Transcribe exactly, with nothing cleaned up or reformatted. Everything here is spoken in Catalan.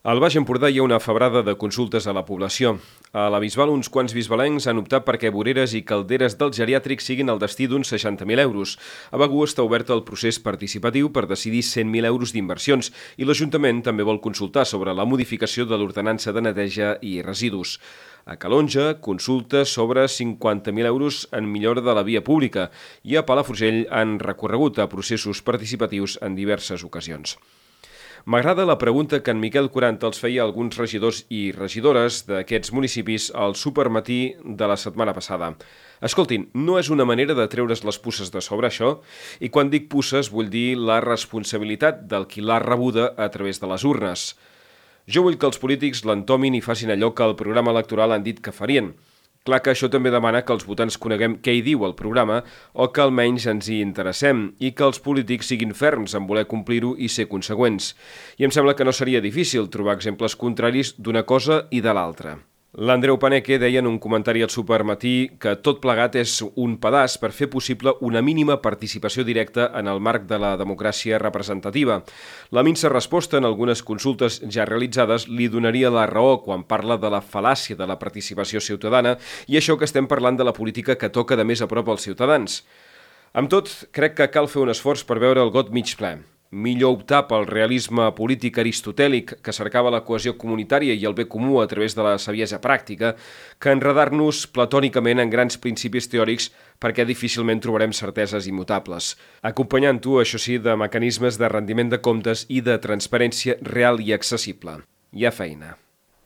Al Baix Empordà hi ha una febrada de consultes a la població. A la Bisbal, uns quants bisbalencs han optat perquè voreres i calderes del geriàtric siguin el destí d'uns seixanta mil euros. A Begur està obert el procés participatiu per decidir cent mil euros d'inversions i l'Ajuntament també vol consultar sobre la modificació de l'ordenança de neteja i residus. A Calonja, consultes sobre cinquanta mil euros en millora de la via pública i a Palafrugell han recorregut a processos participatius en diverses ocasions. M'agrada la pregunta que en Miquel Quaranta els feia a alguns regidors i regidores d'aquests municipis al supermatí de la setmana passada. Escoltin, no és una manera de treure's les puces de sobre això? I quan dic puces vull dir la responsabilitat del qui l'ha rebuda a través de les urnes. Jo vull que els polítics l'entomin i facin allò que el programa electoral han dit que farien. Clar que això també demana que els votants coneguem què hi diu el programa o que almenys ens hi interessem i que els polítics siguin ferms en voler complir-ho i ser conseqüents. I em sembla que no seria difícil trobar exemples contraris d'una cosa i de l'altra. L'Andreu Paneque deia en un comentari al Supermatí que tot plegat és un pedaç per fer possible una mínima participació directa en el marc de la democràcia representativa. La minsa resposta en algunes consultes ja realitzades li donaria la raó quan parla de la fal·làcia de la participació ciutadana i això que estem parlant de la política que toca de més a prop als ciutadans. Amb tot, crec que cal fer un esforç per veure el got mig ple. Millor optar pel realisme polític aristotèlic que cercava la cohesió comunitària i el bé comú a través de la saviesa pràctica que enredar-nos platònicament en grans principis teòrics perquè difícilment trobarem certeses immutables. Acompanyant-ho, això sí, de mecanismes de rendiment de comptes i de transparència real i accessible. Hi ha feina.